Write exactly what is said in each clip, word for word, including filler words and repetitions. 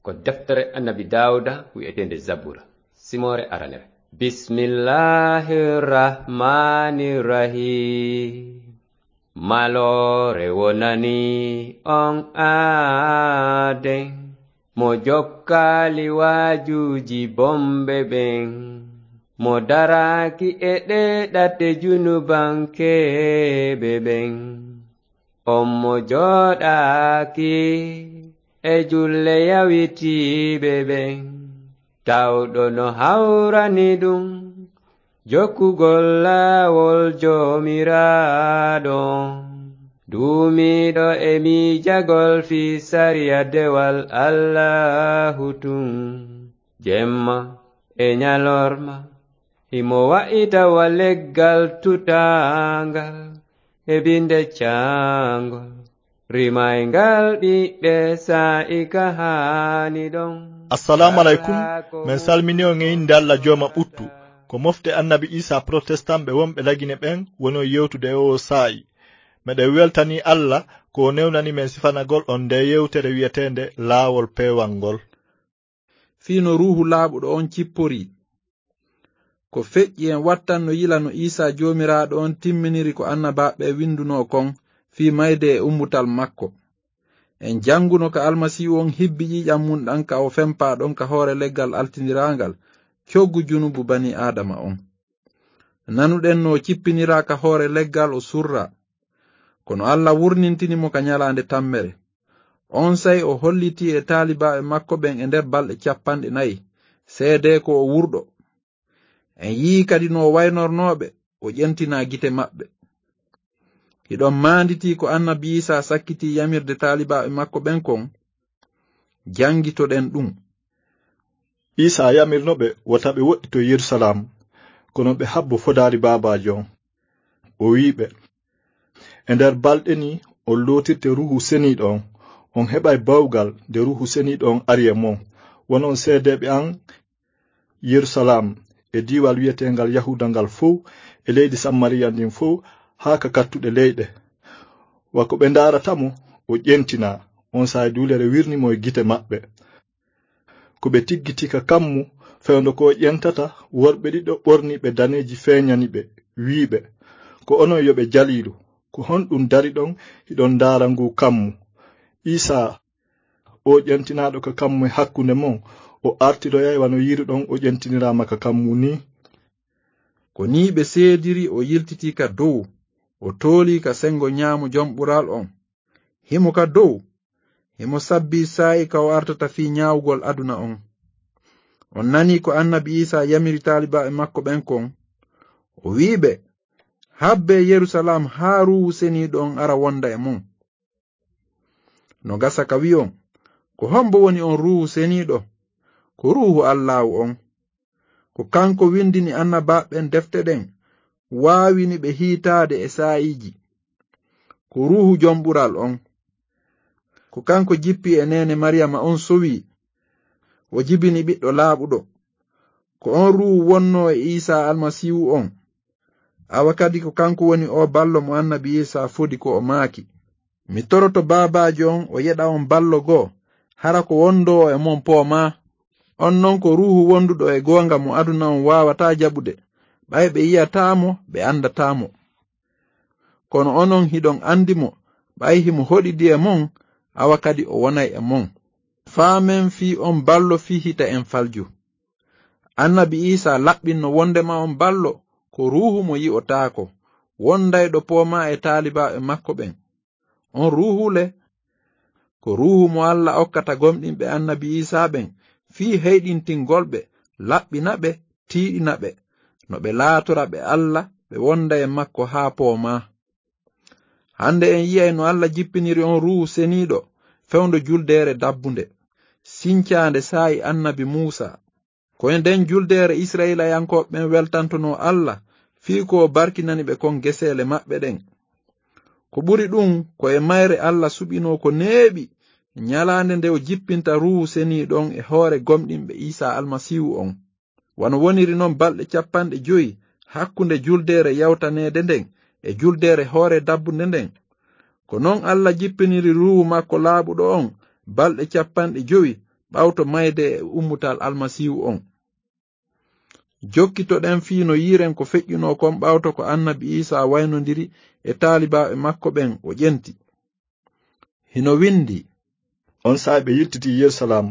Ko deftere Annabi Daawuda wi'eteende Zabura, simoore aranere. Bismillahir Rahmanir Rahim. Maloore wonani on aaden, mo jokkaali waajuuji bomɓe ɓen, mo daraaki e ɗee ɗate junubankeeɓe ɓen. On mo jooɗaaki e julle yawitiiɓe ɓen, tawɗo no hawrani ɗum jokkugol laawol Joomiraaɗo. Duumiiɗo e miijagol fii sariya dewal Allaahu tun, jemma e ñalorma, himo wa'ita wa leggal tutaangal e binde caangol, rimayngal ɓiɓɓe saa'i ka haani ɗon. Assalaamu aleykum. Men salmini on e innde Alla Jooma ɓuttu. Ko mofte Annabi Iisaa protestant ɓe wonɓe Lagine ɓen woni on yewtude e oo saa'i. Meɗen weltanii Alla ko o newnani men sifanagol on ndee yewtere wi'eteende Laawol Peewal ngol. Fii no Ruuhu Laaɓuɗo on cipporii. Ko feƴƴi en wattan no yila no Iisaa Joomiraaɗo on timminiri ko annabaaɓe ɓen windunoo kon fii mayde e ummutal makko. En janguno ka Almasiihu on hibbi ƴiiƴan mun ɗan ka o fempaa ɗon ka hoore leggal altindiraangal coggu junubu banii Aadama on. Nanuɗen no o cippiniraa ka hoore leggal o surraa. Kono Alla wurnintini mo ka ñalaande tammere. Onsay o hollitii e taalibaaɓe makko ɓen e nder balɗe cappanɗe nayi, seedee ko o wurɗo. En yi'ii kadi no o waynornoo ɓe, o ƴentinaa gite maɓɓe. Hiɗon maanditii ko Annabi Iisaa sakkitii yamirde taalibaaɓe makko ɓen kon? Jangitoɗen ɗum. Iisaa yamirno ɓe wota ɓe woɗɗito Yerusalaam, kono ɓe habbo fodaari Baabaajo on. O wi'i ɓe, "E nder balɗe ni on lootirte Ruuhu Seniiɗo on, on heɓay bawgal nde Ruuhu Seniiɗo on ari e mon. Wonon seedeeɓe an Yerusalaam, e diiwal wi'eteengal Yahuuda ngal fow, e leydi Samariya ndin fow, haa ka kattuɗe leyɗe." Wa ko ɓe ndaarata mo, o ƴentinaa, onsay duulere wirni mo e gite maɓɓe. Ko ɓe tiggitii ka kammu, fewndo ko o ƴentata, worɓe ɗiɗo ɓorniiɓe daneeji feeñani ɓe, wi'i ɓe, "Ko onon yo ɓe jaliiɗo, ko honɗum dariɗon hiɗon ndaara nguu kammu? Iisaa, oo ƴentinaaɗo ka kammu e hakkunde mon, o artiroyay wano yi'iruɗon o ƴentiniraama ka kammu nii." Ko nii ɓe seediri, o yiltitii ka dow, o toolii ka sengo ñaamo Jom Ɓural on. Himo ka dow, himo sabbii saa'i ka o artata fii ñaawugol aduna on. On nanii ko Annabi Iisaa yamiri taalibaaɓe makko ɓen kon. O wi'i ɓe, "Habbee Yerusalaam haa Ruuhu Seniiɗo on ara wonda e mon." No gasa ka wi'on, ko hombo woni on Ruuhu Seniiɗo? Ko Ruuhu Allaahu on. Ko kanko windini annabaaɓe ɓen defte ɗen, waawini ɓe hiitaade e saa'iiji. Ko Ruuhu Jom Ɓural on. Ko kanko jippi e neene Mariyama on sowii, o jibini ɓiɗɗo laaɓuɗo. Ko on Ruuhu wonnoo e Iisaa Almasiihu on. Awa kadi ko kanko woni oo ballo mo Annabi Iisaa fodi ko o maaki, "Mi toroto Baabaajo on o yeɗa on ballo goo, hara ko wondoo e mon poomaa. On non ko Ruuhu wonduɗo e goonga mo aduna on waawataa jaɓude, ɓay ɓe yi'ataa mo, ɓe andataa mo. Kono onon hiɗon andi mo, ɓay himo hoɗidi e mon, awa kadi o wonay e mon. Faamen fii on ballo fii hita en falju." Annabi Iisaa laɓɓinno wondema on ballo ko Ruuhu mo yi'otaako, wondayɗo poomaa e taalibaaɓe makko ɓen. On Ruuhu le, ko Ruuhu mo Alla okkata gomɗinɓe Annabi Iisaa ɓen fii heyɗintingol ɓe, laɓɓina ɓe, tiiɗina ɓe, no ɓe laatora ɓe Alla, ɓe wonda e makko haa poomaa. Hande en yi'ay no Alla jippiniri on Ruuhu Seniiɗo fewndo juldeere dabbunde, sincaande saa'i Annabi Muusaa. Ko e nden juldeere Isra'ilayankooɓe ɓen weltantonoo Alla fii ko o barkinani ɓe kon geseele maɓɓe ɗen. Ko ɓuri ɗun, ko e mayre Alla suɓinoo ko neeɓi ñalaande nde o jippinta Ruuhu Seniiɗo on e hoore gomɗinɓe Iisaa Almasiihu on. Wano woniri non balɗe capanɗe jowi hakkunde juldeere yawtaneede nden e juldeere hoore dabbunde nden, ko non Alla jippiniri Ruuhu makko laaɓuɗo on balɗe capanɗe jowi ɓawto mayde e ummutal Almasiihu on. Jokkitoɗen fii no yiiren ko feƴƴunoo kon ɓawto ko Annabi Iisaa waynondiri e taalibaaɓe makko ɓen o ƴenti. Hino winndii. On saa'i ɓe yiltitii Yerusalaam.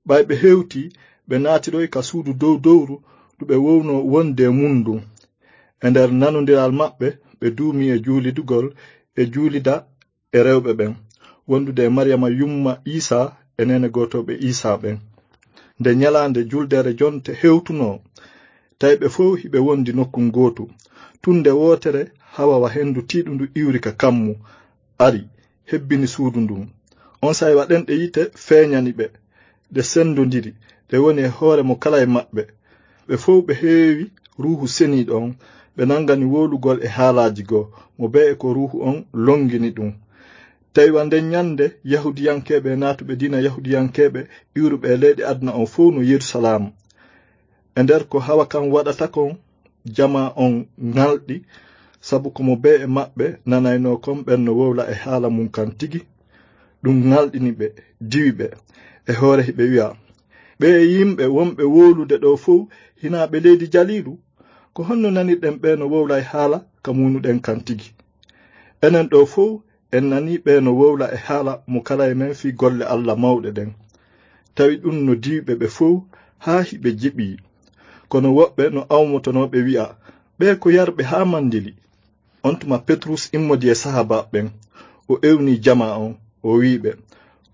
Ɓay ɓe hewtii, ɓe naatiroyi ka suudu dow dowru ndu ɓe wownoo wonde e mun ndun. E nder nanondiral maɓɓe, ɓe duumii e juulidugol e juulida e rewɓe ɓen, wondude e Mariyama yumma Iisaa e neene gootooɓe Iisaa ɓen. Nde ɲalaande juldeere jonte hewtunoo, tawi ɓe fow hiɓe wondi nokku gootu. Tun nde wootere, hawa wa hendu tiiɗundu iwri ka kammu, ari, hebbini suudu ndun. On saa'i wa ɗenɗe yiite feeɲani ɓe, ɗe sendondiri, ɗe woni e hoore mo kala e maɓɓe. Ɓe fow ɓe heewi Ruuhu Seniiɗo on, ɓe nangani wowlugol e haalaaji goo, mo bee e ko Ruuhu on longini ɗun. Tawi wa nden ɲande, Yahuudiyankeeɓe e naatuɓe diina Yahuudiyankeeɓe iwruɓe e leyɗe aduna on fow no Yerusalaam. E nder ko hawa kan waɗata kon, jamaa on ŋalɗi, sabu ko mo bee e maɓɓe nanaynoo kon ɓen no wowla e haala mun kan tigi. Ɗun ŋalɗini ɓe, diwi ɓe. E hoore hiɓe wi'a, "Ɓee yimɓe wonɓe wowlude ɗoo fow, hinaa ɓe leydi Jaliilu? Ko honno nanirɗen ɓee no wowla e haala ka muunuɗen kan tigi? Enen ɗoo fow en nanii ɓee no wowla e haala mo kala e men fii golle Alla mawɗe ɗen." Tawi ɗun no diwi ɓe ɓe fow haa hiɓe jeɓii. Kono woɓɓe no awmotonoo ɓe wi'a, "Ɓee ko yarɓe haa mandili." On tuma Petrus immodi e sahaabaaɓe ɓen, o ewnii jamaa on, o wi'i ɓe,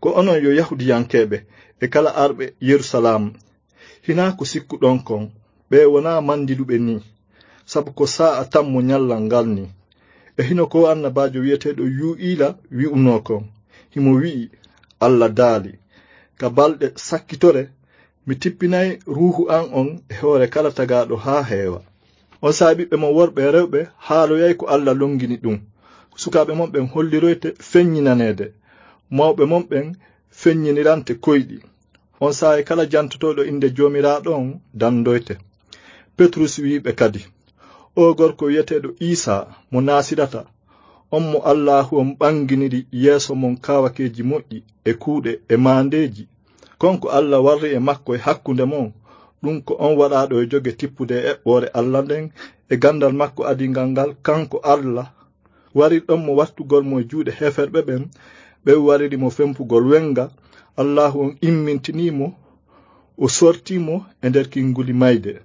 "Ko onon yo Yahuudiyankeeɓe e kala arɓe Yerusalaam, hinaa ko sikkuɗon kon, ɓee wonaa mandiluɓe nii, sabu ko saa'a tammo ɲallal ngal nii. E hino ko annabaajo wi'eteeɗo Yuu'iila wi'unoo kon, himo wi'i, Alla daali, ka balɗe sakkitore, mi tippinay Ruuhu an on e hoore kala tagaaɗo haa heewa." On saa'i ɓiɓɓe mon worɓe e rewɓe haaloyay ko Alla longini ɗun. Sukaaɓe mon ɓen holliroyte feɲɲinaneede. Mawɓe mon ɓen feɲɲinirante koyɗi. On saa'i kala jantotooɗo innde Joomiraaɗo on dandoyte. Petrus wi'i ɓe kadi, "Oo gorko wi'eteeɗo Iisaa mo Naasirata, on mo Allaahu on ɓanginiri yeeso mon kaawakeeji moƴƴi e kuuɗe e maandeeji, kon ko Alla warri e makko e hakkunde mon, ɗun ko on waɗaaɗo e joge tippude e eɓɓoore Alla nden e gandal makko adingal ngal, kanko Alla, warirɗon mo wattugol mo e juuɗe heeferɓe ɓen, ɓen wariri mo fempugol wenga, Allaahu on immintinii mo, o sortii mo e nder kinguli mayde,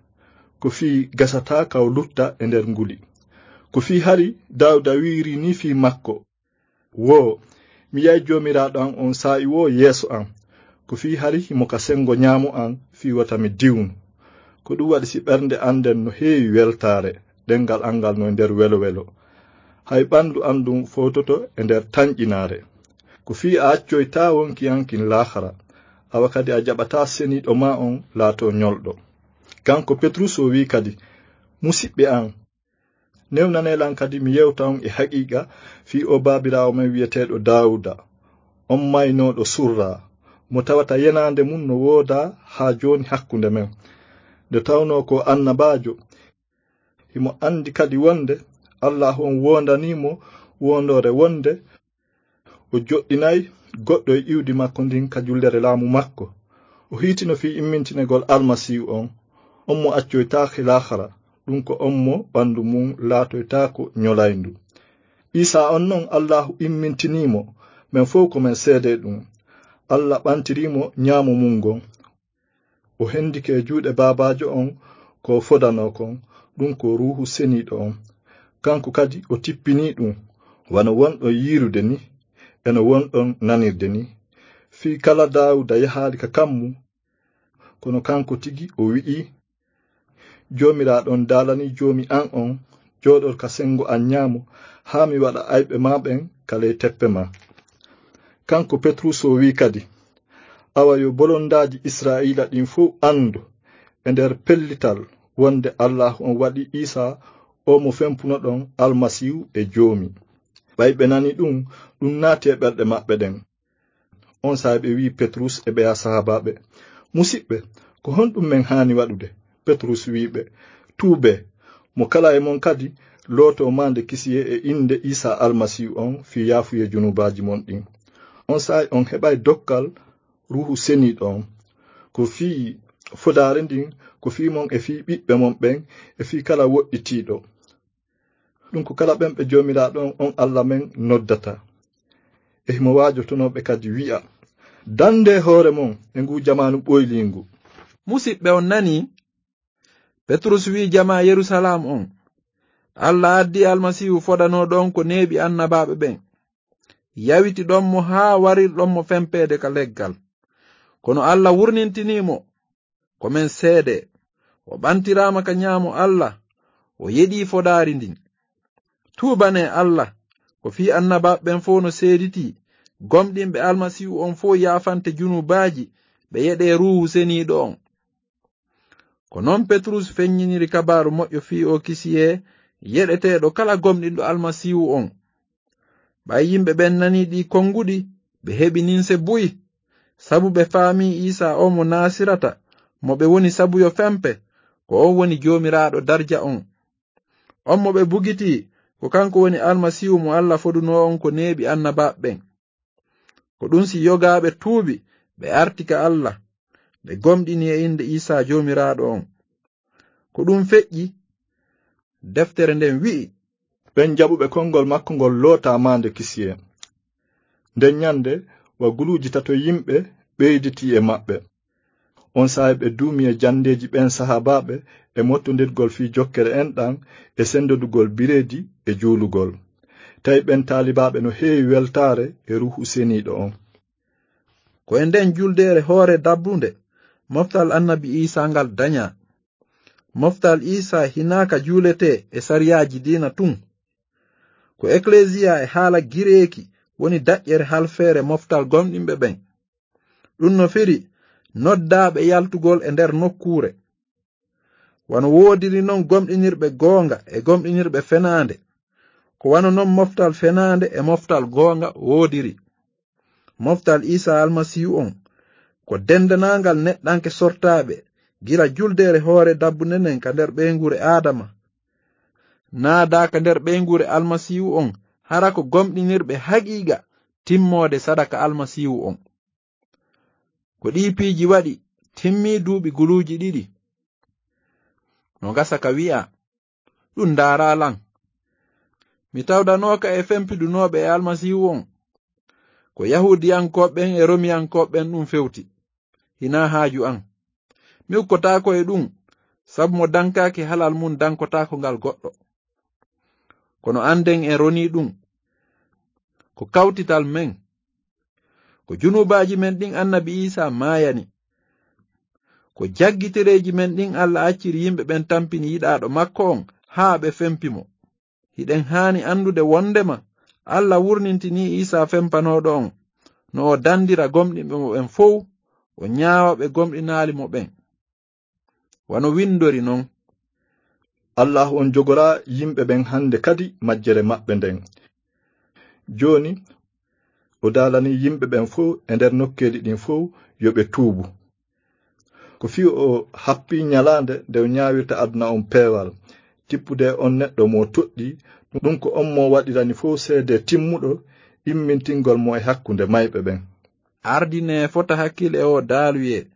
ko fii gasataa ka o lutta e nder nguli. Ko fii hari Daawuda wi'irii nii fii makko, woo, mi yi'ay Joomiraaɗo an on saa'i woo yeeso an, ko fii hari himo ka sengo ɲaamo an fii wota mi diwnu. Ko ɗun waɗi si ɓernde an nden no heewi weltaare, ɗengal an ngal no e nder welo-welo. Hay ɓandu an ndun fowtoto e nder tanƴinaare. Ko fii a accoytaa wonki an kin laakara, awa kadi a jaɓataa seniiɗo maa on laatoo ɲolɗo." Kanko Petrus o wi'i kadi, "Musiɓɓe an, newnanee lan kadi mi yewta on e haqiiqa fii oo baabiraawo men wi'eteeɗo Daawuda, on maynooɗo surraa, mo tawata yenaande mun no woodaa haa jooni hakkunde men. Nde tawnoo ko annabaajo, himo andi kadi wonde Allaahu on woondanii mo woondoore wonde o joɗɗinay goɗɗo e iwdi makko ndin ka jullere laamu makko. O hiitino fii immintinegol Almasiihu on, on mo accoytaake laakara, ɗun ko on mo ɓandu mun laatoytaako ɲolayndu. Iisaa on non Allaahu immintinii mo, men fow ko men seedee ɗun. Alla ɓantirii mo ɲaamo mun ngon. O hendike e juuɗe Baabaajo on ko o fodanoo kon, ɗun ko Ruuhu Seniiɗo on. Kanko kadi o tippinii ɗun, wano wonɗon yiirude nii, e no wonɗon nanirde nii. Fii kala Daawuda yahaali ka kammu, kono kanko tigi o wi'ii, Joomiraaɗo on daalanii Joomi an on, "Jooɗor ka sengo an ɲaamo, haa mi waɗa ayɓe maa ɓen ka ley teppe maa." Kanko Petrus o wi'i kadi, "Awa yo bolondaaji Israa'iila ɗin fow andu e nder pellital wonde Allaahu on waɗi Iisaa oo mo fempunoɗon Almasiihu e Joomi." Ɓay ɓe nani ɗun, ɗun naati e ɓerɗe maɓɓe ɗen. On saa'i ɓe wi'i Petrus e ɓeya sahaabaaɓe, "Musiɓɓe, ko honɗun men haani waɗude?" Petrus wi'i ɓe, "Tuubee, mo kala e mon kadi lootoo maande kisiyee e innde Iisaa Almasiihu on fii yaafuyee junuubaaji mon ɗin. On saa'i on heɓay dokkal Ruuhu Seniiɗo on. Ko fii fodaare ndin, ko fii mon e fii ɓiɓɓe mon ɓen, e fii kala woɗɗitiiɗo. Ɗum ko kala ɓen ɓe Joomiraaɗo on, on Alla men noddata. E himo waajotonoo ɓe kadi wi'a, "Dandee hoore mon e nguu jamaanu ɓoyliingu." Musiɓɓe, on nanii? Petrus wi'i jamaa Yerusalaam on, "Alla addi Almasiihu fodanooɗo on ko neeɓi annabaaɓe ɓen. Yawiti ɗon mo haa warirɗon mo fempeede ka leggal. Kono Alla wurnintinii mo, ko men seede. O ɓantiraama ka ñaamo Alla, o yeɗii fodaari ndin. Tuubanee Alla, ko fii annabaaɓe ɓen fow no seeditii, gomɗinɓe Almasiihu on fow yaafante junuubaaji, ɓe yeɗee Ruuhu Seniiɗo on." Ko non Petrus feññiniri kabaaru moƴƴo fii oo kisiyee yeɗeteeɗo kala gomɗinɗo Almasiihu on. Ɓay yimɓe ɓen nanii ɗii konguɗi, ɓe heɓi ninse buy, sabu ɓe faamii Iisaa on mo Naasirata, mo ɓe woni sabu yo fempe, ko on woni Joomiraaɗo darja on. On mo ɓe bugitii, ko kanko woni Almasiihu mo Alla fodunoo on ko neeɓi annabaaɓe ɓen. Ko ɗum si yogaaɓe tuubi, ɓe arti ka Alla, ɓe gomɗini e innde Iisaa Joomiraaɗo on. Ko ɗum feƴƴi, deftere nden wi'i, "Ɓen jaɓuɓe konngol makko ngol lootaa maande kisiyee." Nden ñande, wa guluuji tato yimɓe ɓeyditii e maɓɓe. On saa'i ɓe duumi e jandeeji ɓen sahaabaaɓe e mottondirgol fii jokkere enɗan e sendodugol bireedi e juulugol. Tawi ɓen taalibaaɓe no heewi weltaare e Ruuhu Seniiɗo on. Ko e nden juldeere hoore dabbunde moftal Annabi Iisaa ngal dañaa. Moftal Iisaa hinaa ka juuletee e sariyaaji diina tun. Ko eklesiya e haala Gireeki woni daƴƴere halfeere moftal gomɗinɓe ɓen. Ɗum no firi noddaaɓe yaltugol e nder nokkuure. Wano woodiri non gomɗinirɓe goonga e gomɗinirɓe fenaande, ko wano non moftal fenaande e moftal goonga woodiri. Moftal Iisaa Almasiihu on, ko dendanaangal neɗɗanke sortaaɓe gila juldeere hoore dabbunde nden ka nder ɓeynguure Aadama, naadaa ka nder ɓeynguure Almasiihu on, hara ko gomɗinirɓe haqiiqa timmoode sadaka Almasiihu on. Ko ɗii piiji waɗi timmii duuɓi guluuji ɗiɗi. No gasa ka wi'a, ɗum ndaaraa lan. Mi tawdanooka e fempidunooɓe e Almasiihu on. Ko Yahuudiyankooɓe ɓen e Romiyankooɓe ɓen ɗum fewti. Hinaa haaju an. Mi ukkotaako e ɗum, sabu mo dankaaki halal mun dankotaako ngal goɗɗo. Kono anden en ronii ɗum. Ko kawtital men. Ko junuubaaji men ɗin Annabi Iisaa maayani. Ko jaggitereeji men ɗin Alla acciri yimɓe ɓen tampini yiɗaaɗo makko on haa ɓe fempi mo. Hiɗen haani anndude wondema Alla wurnintinii Iisaa fempanooɗo on, no o dandira gomɗinɓe mo ɓen fow, o ñaawa ɓe gomɗinaali mo ɓen. Wano windori non, "Allaahu on jogoraa yimɓe ɓen hande kadi majjere maɓɓe nden." Jooni, o daalanii yimɓe ɓen fow e nder nokkeeli ɗin fow yo ɓe tuubu. Ko fii o happii ñalaande nde o ñaawirta aduna on peewal, tippude on neɗɗo mo toɗɗii, ɗum ko on mo waɗirani fow seede timmuɗo, immintingol mo e hakkunde mayɓe ɓen. Ardinee fota hakkil e oo daaluyee.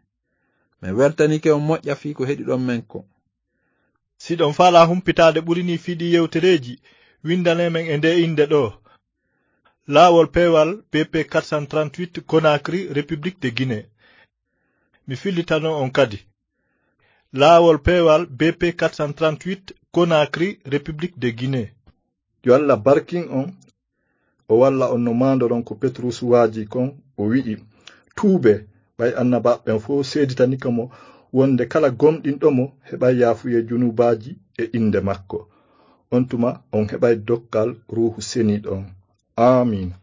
Men weltanike on moƴƴa fii ko heɗiɗon men ko. Si ɗon faalaa humpitaade ɓuri nii fii ɗii yewtereeji, windanee men e ndee innde ɗoo. Laawol peewal B P quatre cent trente-huit, Conakry, République de Guinée. Mi fillitano on kadi. Laawol peewal B P quatre cent trente-huit, Conakry, République de Guinée. Yo Alla barkin on, o walla on no maandoron ko Petrus waaji kon, o wi'i, "Tuubee, ɓay annabaaɓe ɓen fow seeditanika mo wonde kala gomɗinɗo mo heɓay yaafuyee junuubaaji e innde makko. On tuma on heɓay dokkal Ruuhu Seniiɗo on." Aamiin.